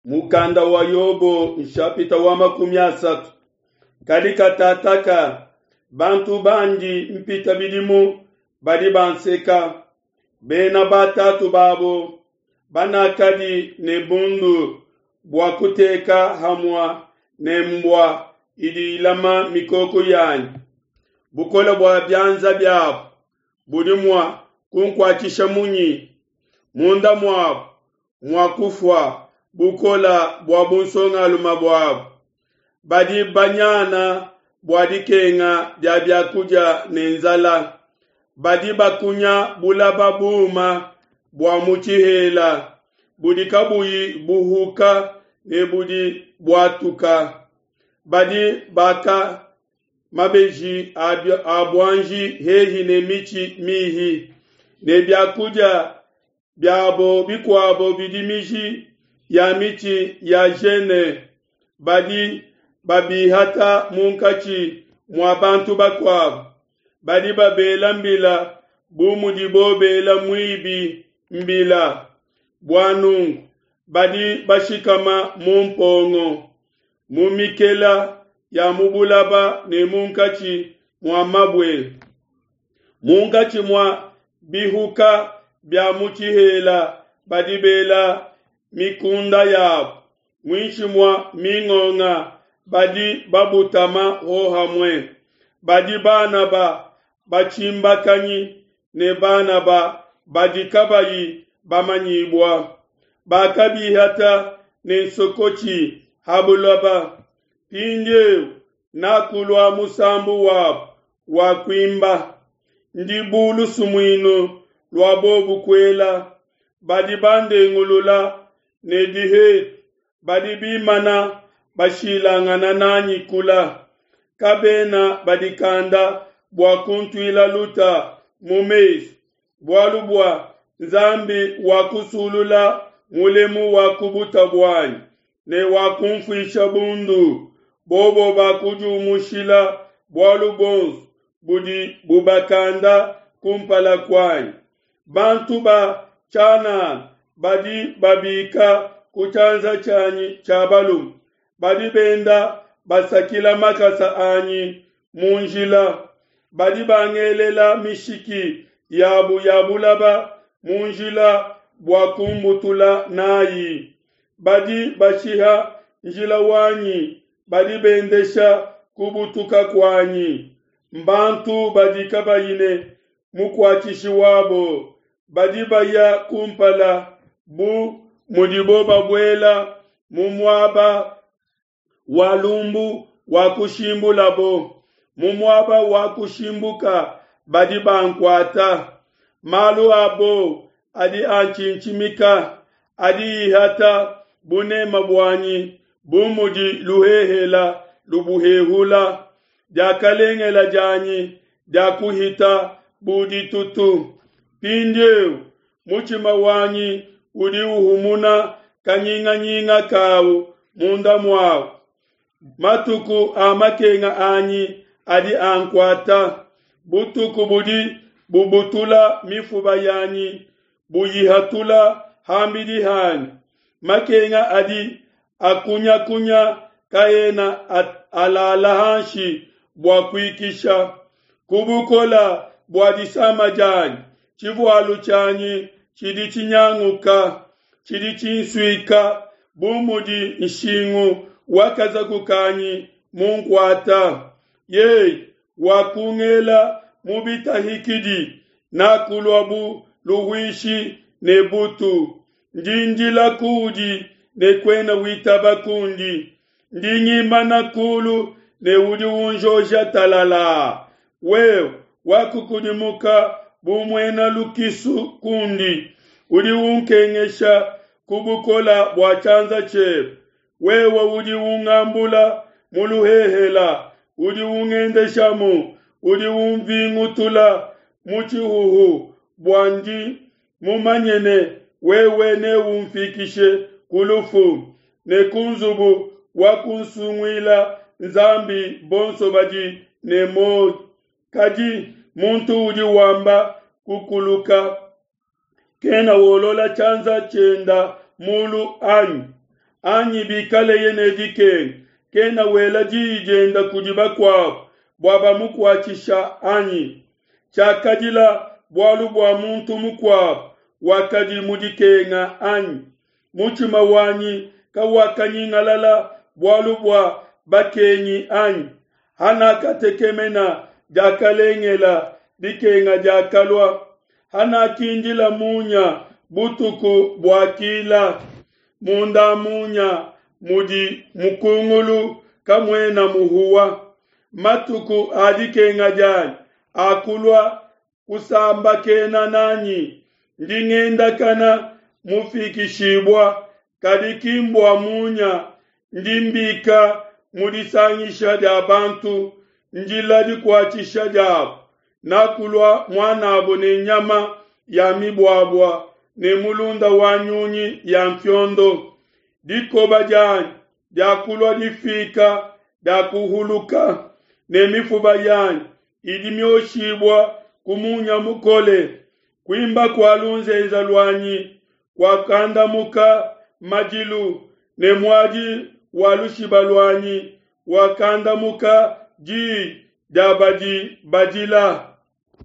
Mukanda wa Yobo nshapita wa 30. Kadi katataka bantu bandi mpita bidimu badi banseka, bena batatu babo banakadi ne bundu bua kuteka hamua ne mbua idi ilama mikoko yanyi. Bukole bua bianza biabo budi mua kunkuatshisha munyi? Munda muabo muakufua bukola bua bunsongalume buabo. Badi banyana bua dikenga dia biakudia ne nzala. Badi bakunya bulaba buuma bua mu tshihela budi kabuyi buhuka ne budi buatuka. Badi baka mabeji a buanji hehi ne mitshi mihi, ne biakudia biabo bikuabo bidi miji ya mitshi ya jene. Badi babihata munkatshi mua bantu bakuabo. Badi babela mbila bu mudibo bela muibi mbila. Bua nunku badi bashikama mu mpongo, mu mikela ya mu bulaba ne munkatshi mua mabue, munkatshi mua bihuka bia mu tshihela badi bela mikunda yabo, muinshi mua mingonga badi babutama hohamue. Badi bana ba batshimbakanyi ne bana ba badi kabayi bamanyibua. Bakabihata ne nsokotshi ha buloba. Mpindieu nakulua musambu wabo wa kuimba. Ndi bu lusumuinu lua bobu kuela. Badi bandengulula ne dihetu, badi bimana bashilangana nanyi kula. Kabena badikanda bua kuntuila luta mu mesu, bualu bua Nzambi wakusulula mulemu wa ku buta buanyi ne wakumfuisha bundu. Bobo bakudiumushila bualu buonso budi bubakanda kumpala kuanyi. Bantu ba tshianana badi babika ku tshianza tshianyi tshia balume, badi benda basakila makasa anyi mu njila. Badi bangelela mishiki yabu ya bulaba mu njila bua kumbutula nayi. Badi bashiha njila wanyi, badi bendesha kubutuka kuanyi. Mbantu badi kabayi ne mukuatshishi wabo, badi baya kumpala bu mudibo babuela mu muaba wa lumbu wa kushimbulabo. Mu muaba wa kushimbuka badi bankuata. Malu abo adi antshintshimika, adi ihata bunema buanyi bu mudi luhehela lubuhehula. Diakalengela dianyi diakuhita bu ditutu. Mpindieu mutshima wanyi udi uhumuna kanyinganyinga kawu munda muawu. Matuku a makenga anyi adi ankuata. Butuku budi bubutula mifuba yanyi, buyihatula ham'bidi hanyi. Makenga adi akunyakunya kaena alala hanshi bua kuikisha. Ku bukola bua disama dianyi, tshivualu tshianyi tshidi tshinyanguka, tshidi tshinsuika bu mudi nshingu wa kazaku kanyi munkuata. Yeye wakungela mu bitahikidi, nakulua bu luhuishi ne butu. Ndi ndila kuudi ne kuena witaba kundi. Ndi ngimana kulu ne udi unjoja talala. Wewe wakukudimuka bu muena lukisu kundi, udi unkengesha ku bukola bua tshianza tshiebe. Wewe udi ungambula mu luhehela, udi ungendeshamu, udi unvingutula mu tshihuhu, bua ndi mumanye ne wewe neumfikishe ku lufu, ne ku nzubu wa kunsunguila Nzambi bonso badi ne muoyo. Kadi muntu udi wamba kukuluka kena wolola tshianza tshienda mulu anyi? Anyi bikaleye ne dikenga, kena wela diyi dienda kudi bakuabo bua bamukuatshisha anyi? Tshiakadila bualu bua muntu mukuabo wakadi mu dikenga anyi? Mutshima wanyi kawakanyingalala bualu bua bakengi anyi? Hanakatekemena diakalengela, dikenga diakalua. Hanakindila munya, butuku buakila. Munda munya mudi mukungulu, kamuena muhuwa. Matuku a dikenga dianyi akulua kusambakena nanyi. Ndi ngendakana mufikishibua, kadi ki mbua munya. Ndi mbika mu disangisha dia bantu, ndila dikuatshisha diabo. Nakulua muanabo ne nyama ya mibuabua ne mulunda wa nyunyi ya mfiondo. Dikoba dianyi diakulua difika, diakuhuluka, ne mifuba yanyi idi mioshibua ku munya mukole. Kuimba kua lunzenze luanyi kuakandamuka madilu, ne muadi wa lushiba luanyi wakandamuka diyi dia badi badila.